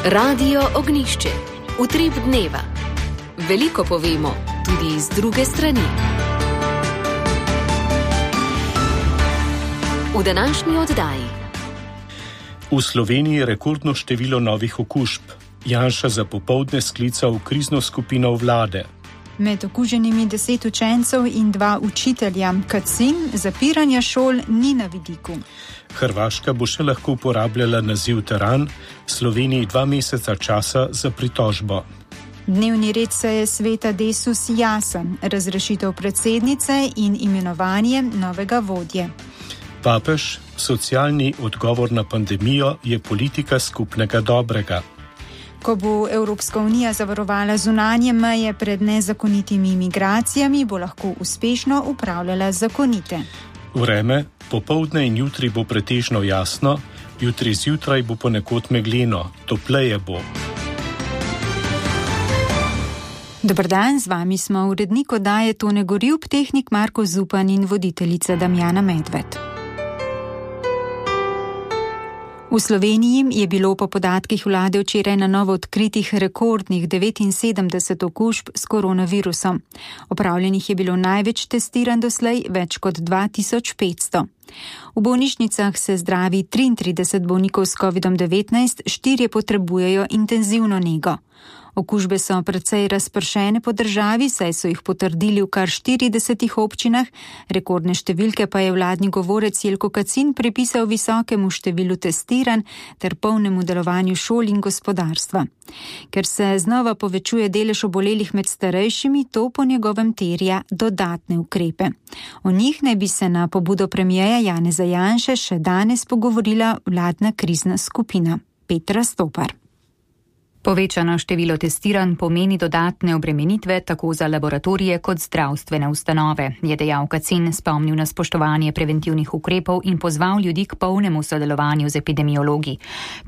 Radio Ognjišče. Utrip dneva. Veliko povemo, tudi iz druge strani. V današnji oddaji. V Sloveniji je rekordno število novih okužb. Janša za popoldne sklical krizno skupino vlade. Med okuženimi 10 učencev in 2 učitelja. Kacin, zapiranja šol ni na vidiku. Hrvaška bo še lahko uporabljala naziv teran, Sloveniji 2 meseca časa za pritožbo. Dnevni red seje sveta Desus jasen, razrešitev predsednice in imenovanje novega vodje. Papež, socialni odgovor na pandemijo je politika skupnega dobrega. Ko bo Evropska unija zavarovala zunanje meje pred nezakonitimi imigracijami, bo lahko uspešno upravljala zakonite. Vreme, popoldne in jutri bo pretežno jasno, jutri zjutraj bo ponekod megleno, topleje bo. Dober dan, z vami smo urednik oddaje Tone Gorjup, tehnik Marko Zupan in voditeljica Damjana Medved. V Sloveniji je bilo po podatkih vlade včeraj na novo odkritih rekordnih 79 okužb s koronavirusom. Opravljenih je bilo največ testiranj doslej, več kot 2500. V bolnišnicah se zdravi 33 bolnikov s COVID-19, 4 potrebujejo intenzivno nego. Okužbe so precej razpršene po državi, saj so jih potrdili v kar 40 občinah, rekordne številke pa je vladni govorec Jelko Kacin pripisal visokemu številu testiranj ter polnemu delovanju šol in gospodarstva. Ker se znova povečuje delež obolelih med starejšimi, to po njegovem terja dodatne ukrepe. O njih naj bi se na pobudo premierja Janeza Janše še danes pogovorila vladna krizna skupina. Petra Stopar. Povečano število testiranj pomeni dodatne obremenitve tako za laboratorije kot zdravstvene ustanove, je dejal Kacin, spomnil na spoštovanje preventivnih ukrepov in pozval ljudi k polnemu sodelovanju z epidemiologi.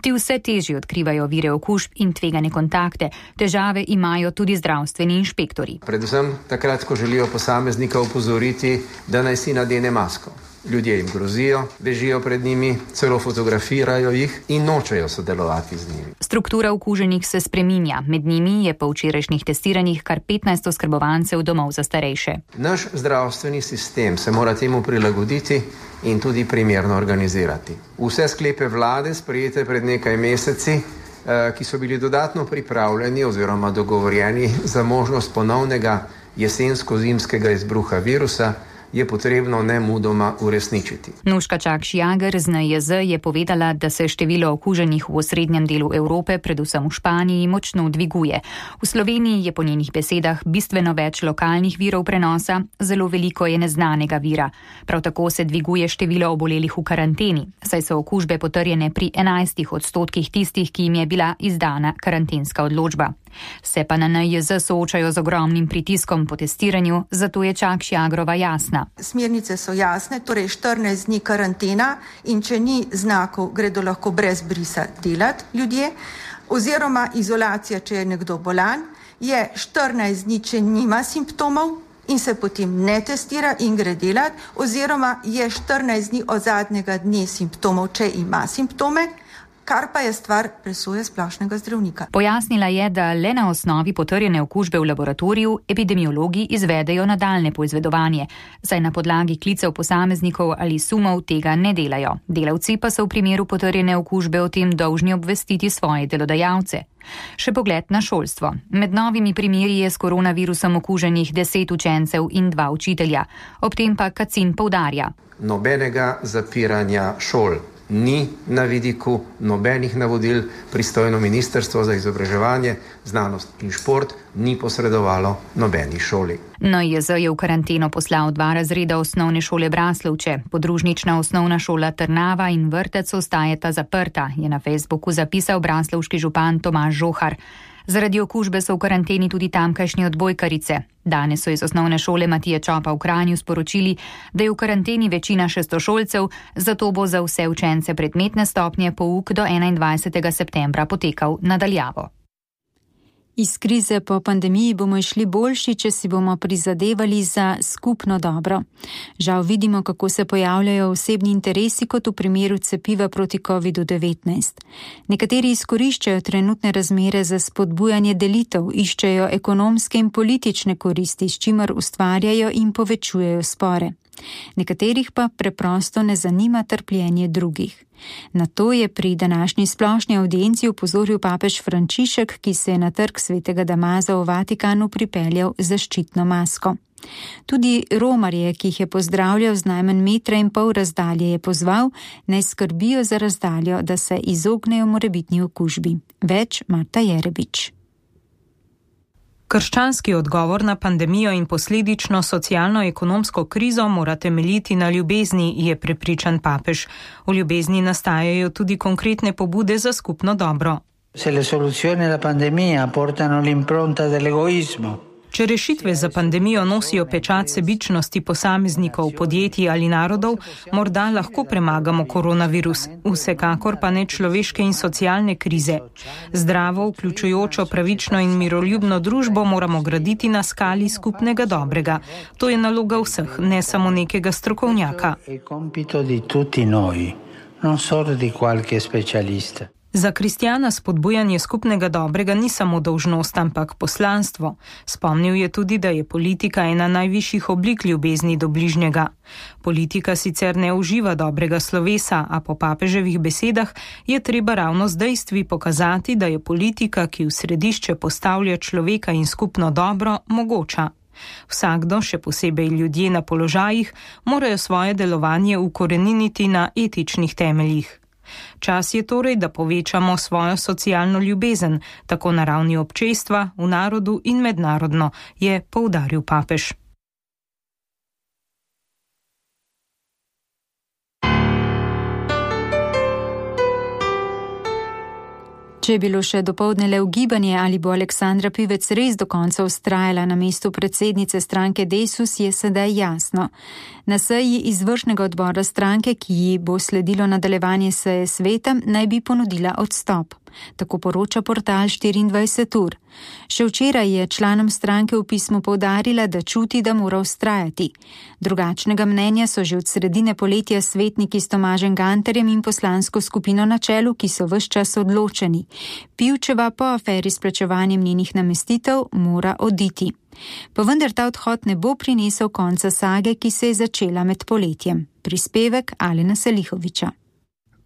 Ti vse težje odkrivajo vire okužb in tvegane kontakte, težave imajo tudi zdravstveni inšpektori. Predvsem takrat, ko želijo posameznika opozoriti, da naj si nadene masko. Ljudje jim grozijo, bežijo pred njimi, celo fotografirajo jih in nočejo sodelovati z njimi. Struktura okuženih se spreminja. Med njimi je po včerajšnjih testiranjih kar 15 oskrbovancev domov za starejše. Naš zdravstveni sistem se mora temu prilagoditi in tudi primerno organizirati. Vse sklepe vlade, sprejete pred nekaj meseci, ki so bili dodatno pripravljeni oziroma dogovorjeni za možnost ponovnega jesensko-zimskega izbruha virusa, je potrebno nemudoma uresničiti. Nuška Čakš-Jager z NIJZ je povedala, da se število okuženih v osrednjem delu Evrope, predvsem v Španiji, močno dviguje. V Sloveniji je po njenih besedah bistveno več lokalnih virov prenosa, zelo veliko je neznanega vira. Prav tako se dviguje število obolelih v karanteni, saj so okužbe potrjene pri 11% tistih, ki jim je bila izdana karantenska odločba. Se pa na NIJZ soočajo z ogromnim pritiskom po testiranju, zato je Čakš-Jagrova jasna. Smernice so jasne, torej 14 dni karantena in če ni znakov, gredo lahko brez brisa delati ljudje, oziroma izolacija, če je nekdo bolan, je 14 dni, če nima simptomov in se potem ne testira in gre delati, oziroma je 14 dni od zadnjega dne simptomov, če ima simptome, kar pa je stvar presoje splošnega zdravnika. Pojasnila je, da le na osnovi potrjene okužbe v laboratoriju epidemiologi izvedejo nadaljne poizvedovanje, saj na podlagi klicev posameznikov ali sumov tega ne delajo. Delavci pa so v primeru potrjene okužbe o tem dolžni obvestiti svoje delodajalce. Še pogled na šolstvo. Med novimi primeri je s koronavirusom okuženih 10 učencev in 2 učitelja. Ob tem pa Kacin poudarja. Nobenega zapiranja šol ni na vidiku, nobenih navodil pristojno ministrstvo za izobraževanje, znanost in šport ni posredovalo nobeni šoli. NIJZ je v karanteno poslal 2 razreda osnovne šole Braslovče. Podružnična osnovna šola Trnava in vrtec ostajata zaprta, je na Facebooku zapisal braslovški župan Tomaž Žohar. Zaradi okužbe so v karanteni tudi tamkajšnje odbojkarice. Danes so iz osnovne šole Matije Čopa v Kranju sporočili, da je v karanteni večina šestošolcev, zato bo za vse učence predmetne stopnje pouk do 21. septembra potekal nadaljavo. Iz krize po pandemiji bomo išli boljši, če si bomo prizadevali za skupno dobro. Žal vidimo, kako se pojavljajo osebni interesi kot v primeru cepiva proti COVID-19. Nekateri izkoriščajo trenutne razmere za spodbujanje delitev, iščejo ekonomske in politične koristi, s čimer ustvarjajo in povečujejo spore. Nekaterih pa preprosto ne zanima trpljenje drugih. Na to je pri današnji splošni audienci opozoril papež Frančišek, ki se je na trg svetega Damaza v Vatikanu pripeljal z zaščitno masko. Tudi romarje, ki jih je pozdravljal z najmanj 1,5 metra razdalje, je pozval, naj skrbijo za razdaljo, da se izognejo morebitni okužbi. Več Marta Jerebič. Krščanski odgovor na pandemijo in posledično socialno-ekonomsko krizo mora temeljiti na ljubezni, je prepričan papež. V ljubezni nastajajo tudi konkretne pobude za skupno dobro. Se le soluzioni alla pandemia portano l'impronta dell'egoismo. Če rešitve za pandemijo nosijo pečat sebičnosti posameznikov, podjetij ali narodov, morda lahko premagamo koronavirus, vsekakor pa ne človeške in socialne krize. Zdravo, vključujočo, pravično in miroljubno družbo moramo graditi na skali skupnega dobrega. To je naloga vseh, ne samo nekega strokovnjaka. Za kristjana spodbujanje skupnega dobrega ni samo dolžnost, ampak poslanstvo. Spomnil je tudi, da je politika ena najvišjih oblik ljubezni do bližnjega. Politika sicer ne uživa dobrega slovesa, a po papeževih besedah je treba ravno z dejstvi pokazati, da je politika, ki v središče postavlja človeka in skupno dobro, mogoča. Vsakdo, še posebej ljudje na položajih, morajo svoje delovanje ukoreniniti na etičnih temeljih. Čas je torej, da povečamo svojo socialno ljubezen, tako na ravni občestva, v narodu in mednarodno, je poudaril papež. Če je bilo še dopoldne le ugibanje, ali bo Aleksandra Pivec res do konca vztrajala na mestu predsednice stranke Desus, je sedaj jasno. Na seji izvršnega odbora stranke, ki ji bo sledilo nadaljevanje seje sveta, naj bi ponudila odstop. Tako poroča portal 24 ur. Še včeraj je članom stranke v pismu poudarila, da čuti, da mora vztrajati. Drugačnega mnenja so že od sredine poletja svetniki s Tomažem Gantarjem in poslansko skupino na čelu, ki so ves čas odločeni. Pivčeva po aferi s plačevanjem njenih namestitev mora oditi. Pa vendar ta odhod ne bo prinesel konca sage, ki se je začela med poletjem. Prispevek Alena Selihoviča.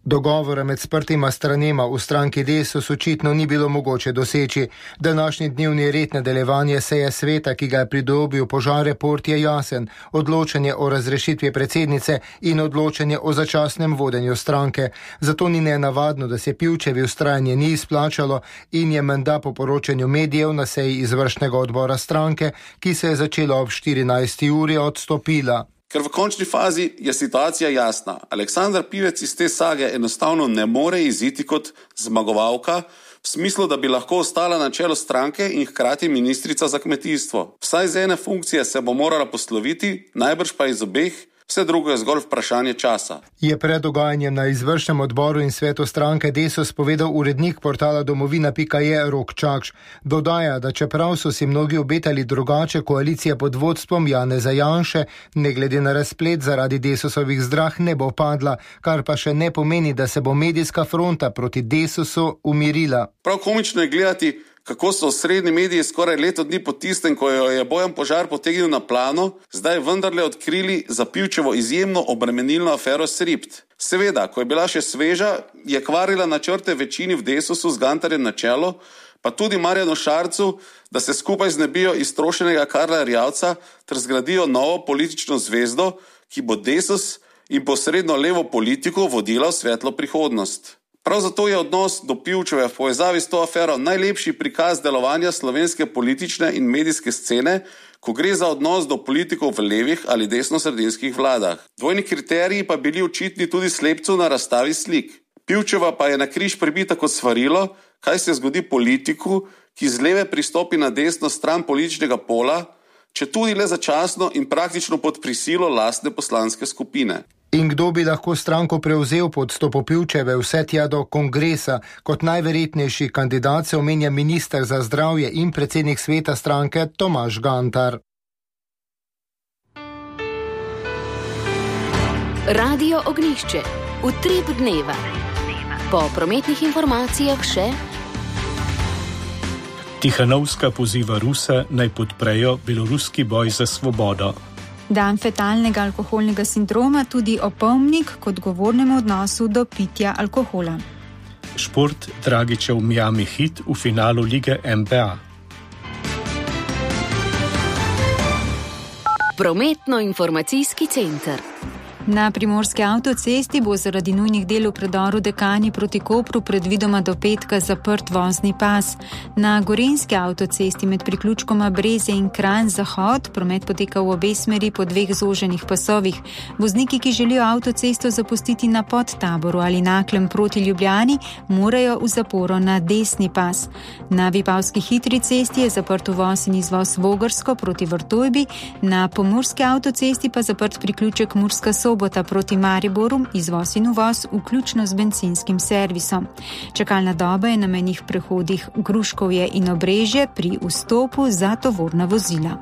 Dogovora med sprtima stranema v stranki Desus očitno ni bilo mogoče doseči. Današnji dnevni red nadaljevanje seje sveta, ki ga je pridobil požar report, je jasen. Odločanje o razrešitvi predsednice in odločanje o začasnem vodenju stranke. Zato ni nenavadno, da se Pivčevi vztrajanje ni izplačalo in je menda po poročanju medijev na seji izvršnega odbora stranke, ki se je začela ob 14. uri, odstopila. Ker v končni fazi je situacija jasna. Aleksandra Pivec iz te sage enostavno ne more iziti kot zmagovalka, v smislu, da bi lahko ostala na čelu stranke in hkrati ministrica za kmetijstvo. Vsaj z ene funkcije se bo morala posloviti, najbrž pa iz obeh, vse drugo je zgolj vprašanje časa. Je pred dogajanjem na izvršnem odboru in svetu stranke Desus povedal urednik portala domovina.je Rok Čakš. Dodaja, da čeprav so si mnogi obetali drugače, koalicija pod vodstvom Janeza Janše, ne glede na razplet zaradi Desusovih zdrah, ne bo padla, kar pa še ne pomeni, da se bo medijska fronta proti Desusu umirila. Prav komično je gledati, kako so osrednji mediji skoraj leto dni po tistem, ko jo je Bojan Požar potegnil na plano, zdaj vendarle odkrili za Pivčevo izjemno obremenilno afero Sript. Seveda, ko je bila še sveža, je kvarila načrte večini v Desusu z Gantarjem na čelo, pa tudi Marjanu Šarcu, da se skupaj znebijo iztrošenega Karla Erjavca ter zgradijo novo politično zvezdo, ki bo Desus in posredno levo politiko vodila v svetlo prihodnost. Prav zato je odnos do Pivčeve v povezavi s to afero najlepši prikaz delovanja slovenske politične in medijske scene, ko gre za odnos do politikov v levih ali desnosredinskih vladah. Dvojni kriteriji pa bili očitni tudi slepcu na razstavi slik. Pivčeva pa je na križ pribita kot svarilo, kaj se zgodi politiku, ki z leve pristopi na desno stran političnega pola, če tudi le začasno in praktično pod prisilo lastne poslanske skupine. In kdo bi lahko stranko prevzel pod Stopopivčeve vse tja do kongresa? Kot najverjetnejši kandidat se omenja minister za zdravje in predsednik sveta stranke Tomaž Gantar. Radio Ognjišče. Utrip dneva. Po prometnih informacijah še. Tihanovska poziva Ruse naj podprejo beloruski boj za svobodo. Dan fetalnega alkoholnega sindroma, tudi opomnik k odgovornemu odnosu do pitja alkohola. Šport, Dragičev Miami Heat v finalu lige NBA. Prometno-informacijski center. Na primorski avtocesti bo zaradi nujnih del v predoru Dekani proti Kopru predvidoma do petka zaprt vozni pas. Na gorenjski avtocesti med priključkoma Breze in Kranj Zahod promet poteka v obe smeri po 2 zoženih pasovih. Vozniki, ki želijo avtocesto zapustiti na Podtaboru ali Naklem proti Ljubljani, morajo v zaporo na desni pas. Na Vipavski hitri cesti je zaprt uvoz in izvoz Vogrsko proti Vrtojbi, na pomurski avtocesti pa zaprt priključek Murska Sobota proti Mariboru, izvoz in uvoz, vključno z bencinskim servisom. Čakalna doba je na mejnih prehodih Gruškovje in Obrežje pri vstopu za tovorna vozila.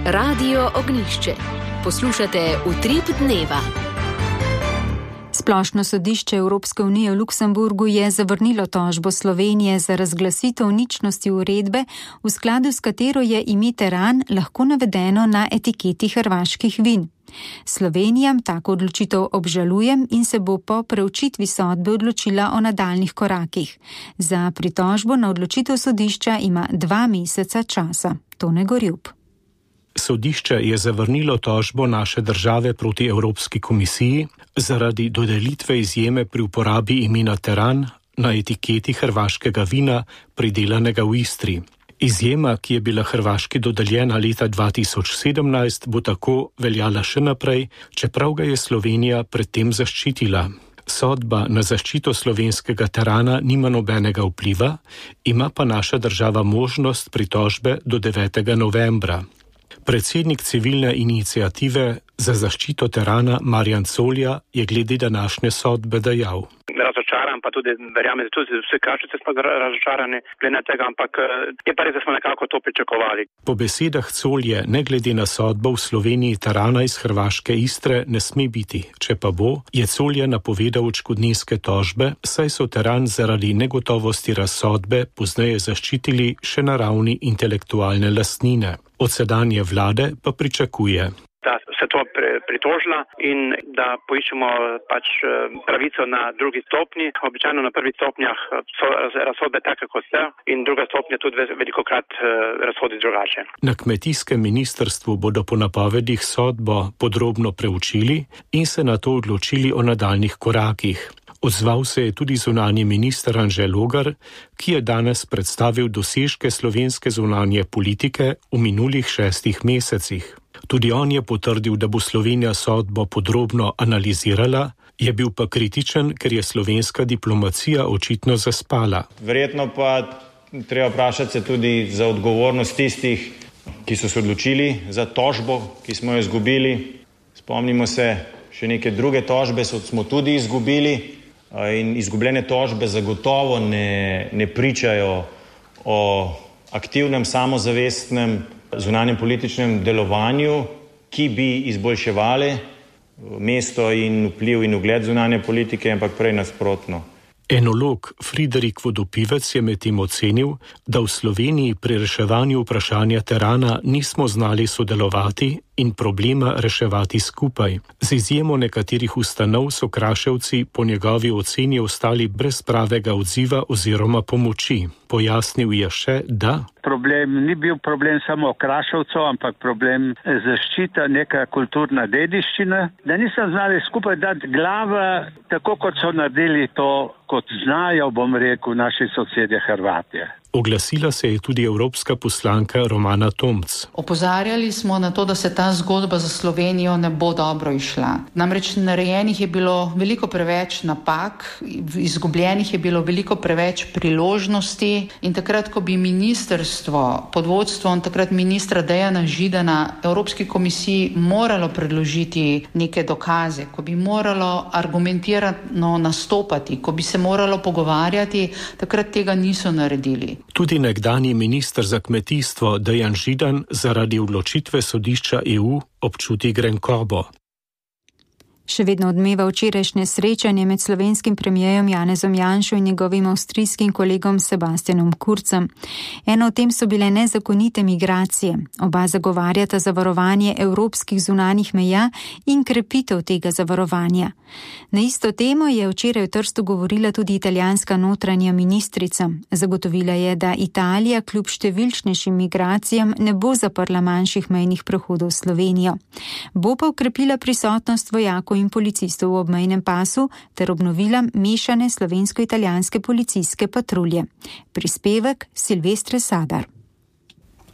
Radio Ognjišče. Poslušate Utrip dneva. Splošno sodišče Evropske unije v Luksemburgu je zavrnilo tožbo Slovenije za razglasitev ničnosti uredbe, v skladu s katero je ime teran lahko navedeno na etiketi hrvaških vin. Slovenija tako odločitev obžaluje in se bo po preučitvi sodbe odločila o nadaljnih korakih. Za pritožbo na odločitev sodišča ima 2 meseca časa. Tone Gorjup. Sodišče je zavrnilo tožbo naše države proti Evropski komisiji zaradi dodelitve izjeme pri uporabi imena teran na etiketi hrvaškega vina, pridelanega v Istri. Izjema, ki je bila Hrvaški dodeljena leta 2017, bo tako veljala še naprej, čeprav ga je Slovenija predtem zaščitila. Sodba na zaščito slovenskega terana nima nobenega vpliva, ima pa naša država možnost pritožbe do 9. novembra. Predsednik civilne iniciative za zaščito terana Marjan Colja je glede današnje sodbe dejal. Razočaran, pa tudi verjamem, da tudi vse kašice smo razočarani glede tega, ampak je pa res, da smo nekako to pričakovali. Po besedah Colje, ne glede na sodbo v Sloveniji terana iz Hrvaške Istre ne sme biti. Če pa bo, je Colje napovedal odškodninske tožbe, saj so teran zaradi negotovosti razsodbe pozneje zaščitili še na ravni intelektualne lastnine. Od sedanje vlade pa pričakuje, da se to pritožila in da poiščemo pač pravico na drugi stopnji. Običajno na prvih stopnjah so razsodbe take, kot so, in druga stopnja tudi velikokrat razsodi drugače. Na kmetijskem ministrstvu bodo po napovedih sodbo podrobno preučili in se na to odločili o nadaljnih korakih. Odzval se je tudi zunanji minister Anže Logar, ki je danes predstavil dosežke slovenske zunanje politike v minulih 6 mesecih. Tudi on je potrdil, da bo Slovenija sodbo podrobno analizirala, je bil pa kritičen, ker je slovenska diplomacija očitno zaspala. Verjetno pa treba vprašati se tudi za odgovornost tistih, ki so se odločili za tožbo, ki smo jo izgubili. Spomnimo se, še neke druge tožbe smo tudi izgubili in izgubljene tožbe zagotovo ne pričajo o aktivnem, samozavestnem zunanjem političnem delovanju, ki bi izboljševali mesto in vpliv in ugled zunanje politike, ampak prej nasprotno. Enolog Friderik Vodopivec je medtem ocenil, da v Sloveniji pri reševanju vprašanja terana nismo znali sodelovati in problema reševati skupaj. Z izjemo nekaterih ustanov so Kraševci po njegovi oceni ostali brez pravega odziva oziroma pomoči. Pojasnil je še, da problem ni bil problem samo Kraševcev, ampak problem zaščita neka kulturna dediščina, da niso znali skupaj dati glava, tako kot so naredili to, kot znajo, bom rekel, naši sosedje Hrvatje. Oglasila se je tudi evropska poslanka Romana Tomc. Opozarjali smo na to, da se ta zgodba za Slovenijo ne bo dobro išla. Namreč narejenih je bilo veliko preveč napak, izgubljenih je bilo veliko preveč priložnosti in takrat, ko bi ministrstvo pod vodstvom takrat ministra Dejana Židana Evropski komisiji moralo predložiti neke dokaze, ko bi moralo argumentirano nastopati, ko bi se moralo pogovarjati, takrat tega niso naredili. Tudi nekdanji minister za kmetijstvo Dejan Židan zaradi odločitve sodišča EU občuti grenkobo. Še vedno odmeva včerajšnje srečanje med slovenskim premijerom Janezom Janšo in njegovim avstrijskim kolegom Sebastianom Kurzem. Eno od tem so bile nezakonite migracije. Oba zagovarjata zavarovanje evropskih zunanjih meja in krepitev tega zavarovanja. Na isto temo je včeraj v Trstu govorila tudi italijanska notranja ministrica. Zagotovila je, da Italija kljub številčnejšim migracijam ne bo zaprla manjših mejnih prehodov v Slovenijo. Bo pa okrepila prisotnost vojakov in policistov v obmejnem pasu ter obnovila mešane slovensko-italijanske policijske patrulje. Prispevek Silvestre Sadar.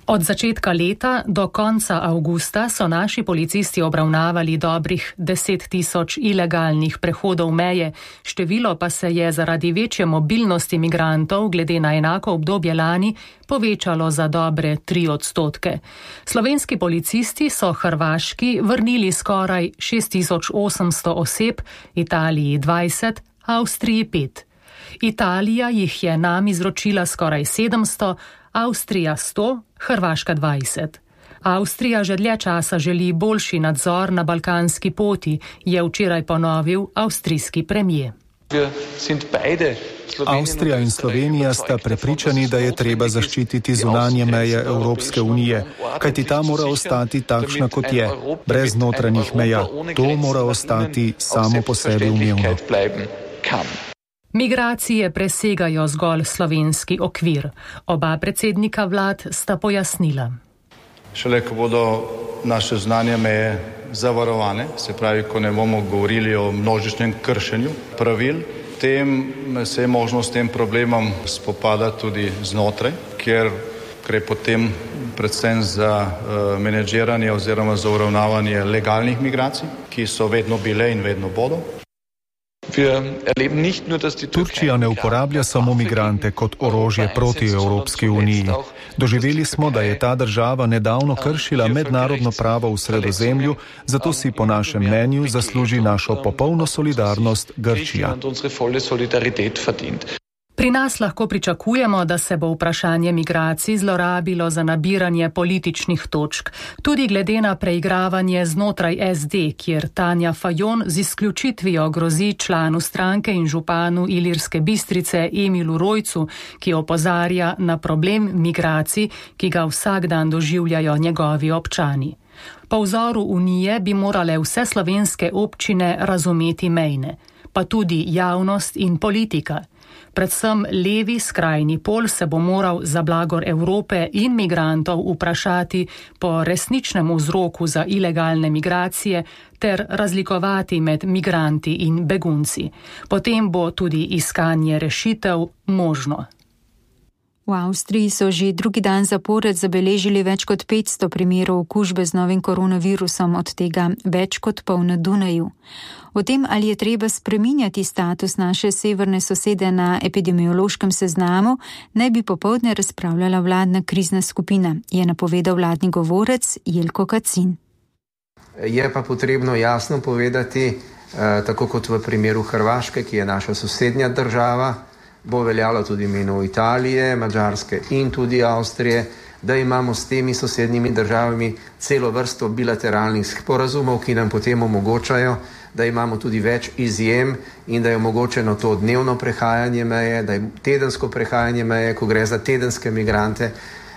Od začetka leta do konca avgusta so naši policisti obravnavali dobrih 10 000 ilegalnih prehodov meje, število pa se je zaradi večje mobilnosti migrantov glede na enako obdobje lani povečalo za dobre 3%. Slovenski policisti so Hrvaški vrnili skoraj 6800 oseb, Italiji 20, Avstriji 5. Italija jih je nam izročila skoraj 700, Avstrija 100, Hrvaška 20. Avstrija že dlje časa želi boljši nadzor na balkanski poti, je včeraj ponovil avstrijski premijer. Avstrija in Slovenija sta prepričani, da je treba zaščititi zunanje meje Evropske unije, kajti ta mora ostati takšna, kot je, brez notranjih meja. To mora ostati samo po sebi umevno. Migracije presegajo zgolj slovenski okvir. Oba predsednika vlad sta pojasnila. Šele ko bodo naše zunanje meje zavarovane, se pravi, ko ne bomo govorili o množičnem kršenju pravil, tem se je možno s tem problemom spopadati tudi znotraj, kjer gre potem predvsem za menedžiranje oziroma za uravnavanje legalnih migracij, ki so vedno bile in vedno bodo. Turčija ne uporablja samo migrante kot orožje proti Evropski uniji. Doživeli smo, da je ta država nedavno kršila mednarodno pravo v Sredozemlju, zato si po našem mnenju zasluži našo popolno solidarnost Grčija. Pri nas lahko pričakujemo, da se bo vprašanje migracij zlorabilo za nabiranje političnih točk, tudi glede na preigravanje znotraj SD, kjer Tanja Fajon z izključitvijo grozi članu stranke in županu Ilirske Bistrice Emilu Rojcu, ki opozarja na problem migracij, ki ga vsak dan doživljajo njegovi občani. Po vzoru Unije bi morale vse slovenske občine razumeti mejne, pa tudi javnost in politika. Predvsem levi skrajni pol se bo moral za blagor Evrope in migrantov vprašati po resničnem vzroku za ilegalne migracije ter razlikovati med migranti in begunci. Potem bo tudi iskanje rešitev možno. V Avstriji so že drugi dan zapored zabeležili več kot 500 primerov okužbe z novim koronavirusom, od tega več kot pol na Dunaju. O tem, ali je treba spreminjati status naše severne sosede na epidemiološkem seznamu, naj bi popoldne razpravljala vladna krizna skupina, je napovedal vladni govorec Jelko Kacin. Je pa potrebno jasno povedati, tako kot v primeru Hrvaške, ki je naša sosednja država, bo veljalo tudi v imenu Italije, Madžarske in tudi Avstrije, da imamo s temi sosednjimi državami celo vrsto bilateralnih sporazumov, ki nam potem omogočajo, da imamo tudi več izjem in da je omogočeno to dnevno prehajanje meje, da je tedensko prehajanje meje, ko gre za tedenske migrante,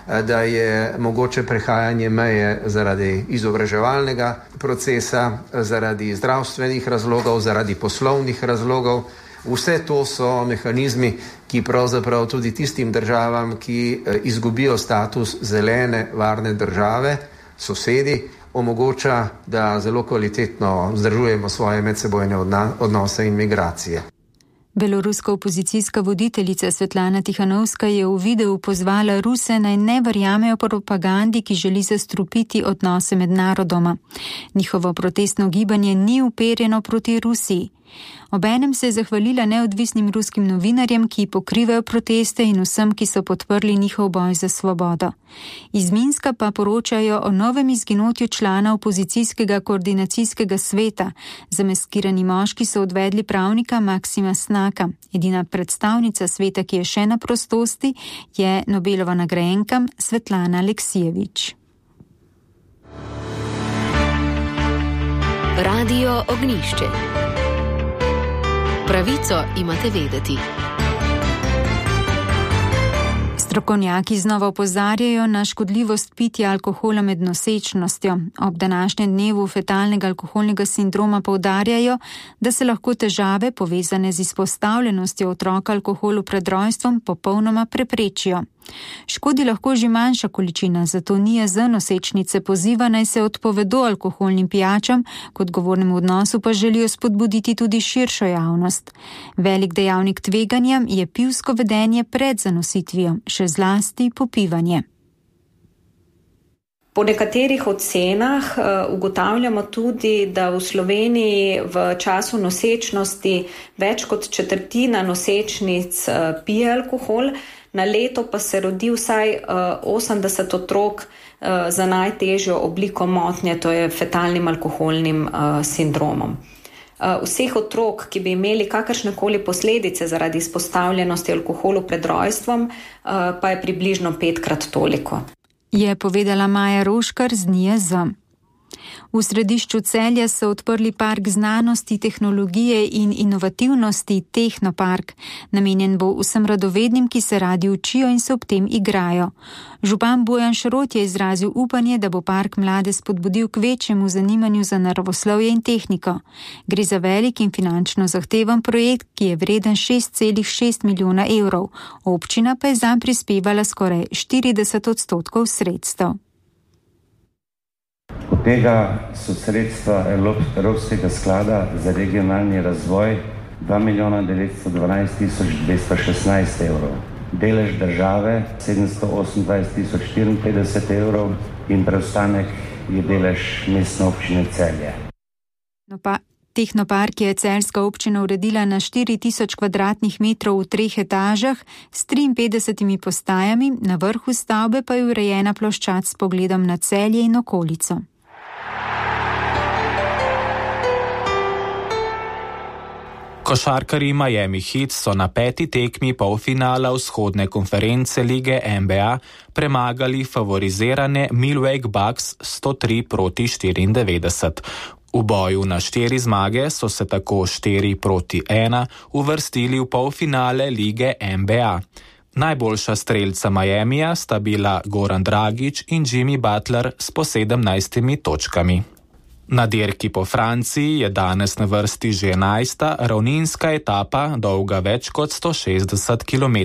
da je mogoče prehajanje meje zaradi izobraževalnega procesa, zaradi zdravstvenih razlogov, zaradi poslovnih razlogov. Vse to so mehanizmi, ki pravzaprav tudi tistim državam, ki izgubijo status zelene, varne države, sosedi, omogoča, da zelo kvalitetno vzdržujemo svoje medsebojne odnose in migracije. Beloruska opozicijska voditeljica Svetlana Tihanovska je v videu pozvala Ruse naj ne verjamejo propagandi, ki želi zastrupiti odnose med narodoma. Njihovo protestno gibanje ni uperjeno proti Rusiji. Obenem se je zahvalila neodvisnim ruskim novinarjem, ki pokrivajo proteste in vsem, ki so podprli njihov boj za svobodo. Iz Minska pa poročajo o novem izginotju člana opozicijskega koordinacijskega sveta. Zamaskirani moški so odvedli pravnika Maksima Snaka. Edina predstavnica sveta, ki je še na prostosti, je Nobelova nagrajenka Svetlana Aleksijevič. Radio Ognjišče. Pravico imate vedeti. Strokovnjaki znova opozarjajo na škodljivost pitja alkohola med nosečnostjo. Ob današnjem dnevu fetalnega alkoholnega sindroma poudarjajo, da se lahko težave, povezane z izpostavljenostjo otroka alkoholu pred rojstvom, popolnoma preprečijo. Škodi lahko že manjša količina, zato NIJZ nosečnice poziva naj se odpovedo alkoholnim pijačam, k odgovornemu odnosu pa želijo spodbuditi tudi širšo javnost. Velik dejavnik tveganja je pivsko vedenje pred zanositvijo, še zlasti popivanje. Po nekaterih ocenah ugotavljamo tudi, da v Sloveniji v času nosečnosti več kot četrtina nosečnic pije alkohol, na leto pa se rodi vsaj 80 otrok za najtežjo obliko motnje, to je fetalnim alkoholnim sindromom. Vseh otrok, ki bi imeli kakršnekoli posledice zaradi izpostavljenosti alkoholu pred rojstvom, pa je približno 5-krat toliko. Je povedala Maja Roškar z NIJZ. V središču Celja so odprli park znanosti, tehnologije in inovativnosti Tehnopark. Namenjen bo vsem radovednim, ki se radi učijo in se ob tem igrajo. Župan Bojan Šrot je izrazil upanje, da bo park mlade spodbudil k večjemu zanimanju za naravoslovje in tehniko. Gre za velik in finančno zahteven projekt, ki je vreden 6,6 milijona evrov. Občina pa je zanj prispevala skoraj 40% sredstev. Od tega so sredstva Evropskega sklada za regionalni razvoj 2.912.216 evrov. Delež države 728.054 evrov in preostanek je delež mestne občine Celje. Tehnopark je celjska občina uredila na 4.000 kvadratnih metrov v 3 etažah s 53 postajami, na vrhu stavbe pa je urejena ploščad s pogledom na Celje in okolico. Košarkarji Miami Heat so na 5. tekmi polfinala vzhodne konference lige NBA premagali favorizirane Milwaukee Bucks 103-94. V boju na 4 zmage so se tako 4-1 uvrstili v polfinale lige NBA. Najboljša strelca Miamija sta bila Goran Dragić in Jimmy Butler s po 17 točkami. Na dirki po Franciji je danes na vrsti že 11. ravninska etapa, dolga več kot 160 km.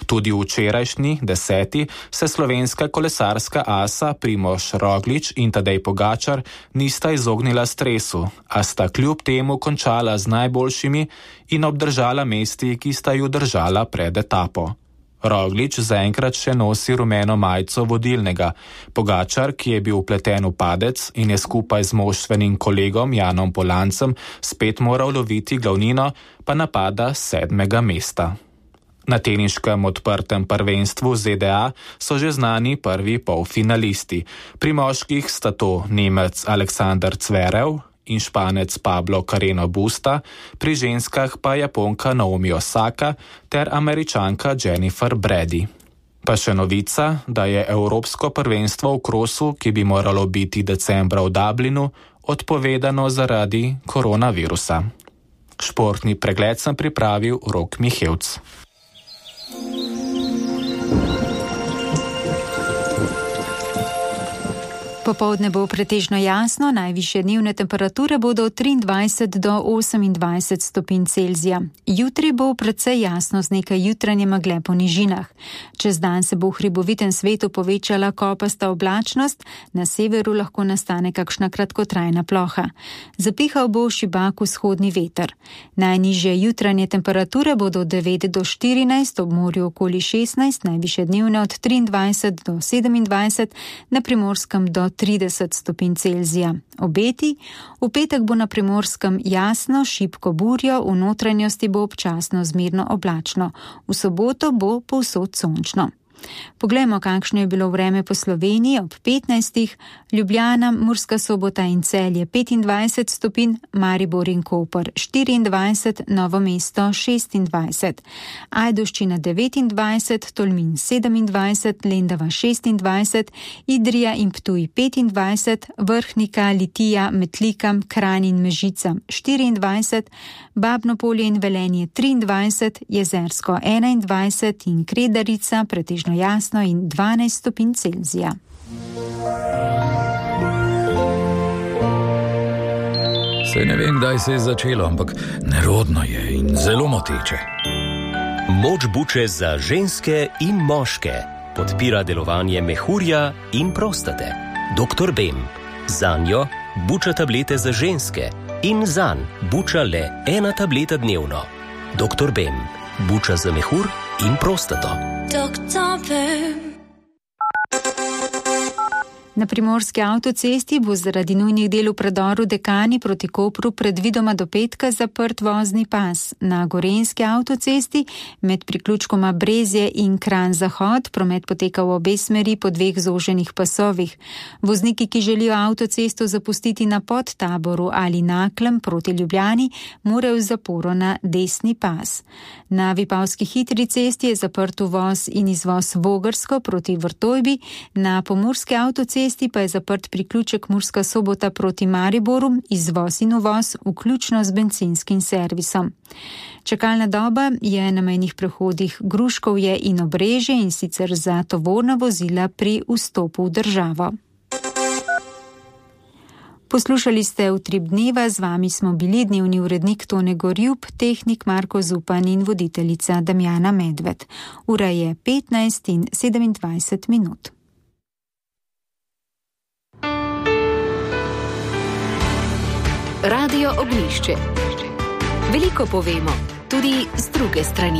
Tudi v včerajšnji 10. se slovenska kolesarska asa Primož Roglič in Tadej Pogačar nista izognila stresu, a sta kljub temu končala z najboljšimi in obdržala mesti, ki sta ju držala pred etapo. Roglič zaenkrat še nosi rumeno majico vodilnega. Pogačar, ki je bil vpleten v padec in je skupaj z moštvenim kolegom Janom Polancem spet moral loviti glavnino, pa napada 7. mesta. Na teniškem odprtem prvenstvu ZDA so že znani prvi polfinalisti. Pri moških sta to Nemec Aleksander Zverev in Španec Pablo Carreno Busta, pri ženskah pa Japonka Naomi Osaka ter Američanka Jennifer Brady. Pa še novica, da je Evropsko prvenstvo v krosu, ki bi moralo biti decembra v Dublinu, odpovedano zaradi koronavirusa. Športni pregled sem pripravil Rok Mihevc. Popoldne bo pretežno jasno, najvišje dnevne temperature bodo od 23 do 28 stopinj Celzija. Jutri bo precej jasno z nekaj jutranje megle po nižinah. Čez dan se bo v hribovitem svetu povečala kopasta oblačnost, na severu lahko nastane kakšna kratkotrajna ploha. Zapihal bo šibak vzhodni veter. Najnižje jutranje temperature bodo od 9 do 14, ob morju okoli 16, najvišje dnevne od 23 do 27, na Primorskem do 30 stopinj Celzija. Obeti: v petek bo na Primorskem jasno, šibko burjo, v notranjosti bo občasno zmerno oblačno. V soboto bo povsod sončno. Poglejmo, kakšno je bilo vreme po Sloveniji ob 15. Ljubljana, Murska Sobota in Celje 25 stopinj, Maribor in Koper 24, Novo mesto 26, Ajdovščina 29, Tolmin 27, Lendava 26, Idrija in Ptuj 25, Vrhnika, Litija, Metlikam, Kranj in Mežica 24, Babno Polje in Velenje 23, Jezersko 21 in Kredarica pretežno jasno in 12 stopinj Celzija. Saj ne vem, kdaj se je začelo, ampak nerodno je in zelo moteče. Moč buče za ženske in moške podpira delovanje mehurja in prostate. Dr. Bem. Zanjo buča tablete za ženske in zanj buča le 1 tableta dnevno. Dr. Bem. Buča za mehur in prostato. Dr. Bem. Na Primorski avtocesti bo zaradi nujnih del v predoru Dekani proti Kopru predvidoma do petka zaprt vozni pas. Na Gorenjski avtocesti med priključkoma Brezje in Kranj Zahod promet poteka v obe smeri po 2 zoženih pasovih. Vozniki, ki želijo avtocesto zapustiti na Podtaboru ali Naklem proti Ljubljani, morajo v zaporo na desni pas. Na Vipavski hitri cesti je zaprt uvoz in izvoz Vogrsko proti Vrtojbi, na Pomurski avtocesti pa je zaprt priključek Murska Sobota proti Mariboru, izvoz in uvoz, vključno z bencinskim servisom. Čakalna doba je na mejnih prehodih Gruškovje in Obrežje, in sicer za tovorna vozila pri vstopu v državo. Poslušali ste Utrip dneva, z vami smo bili dnevni urednik Tone Gorjub, tehnik Marko Zupan in voditeljica Damjana Medved. Ura je 15 in 27 minut. Radio Oglišče. Veliko povemo, tudi z druge strani.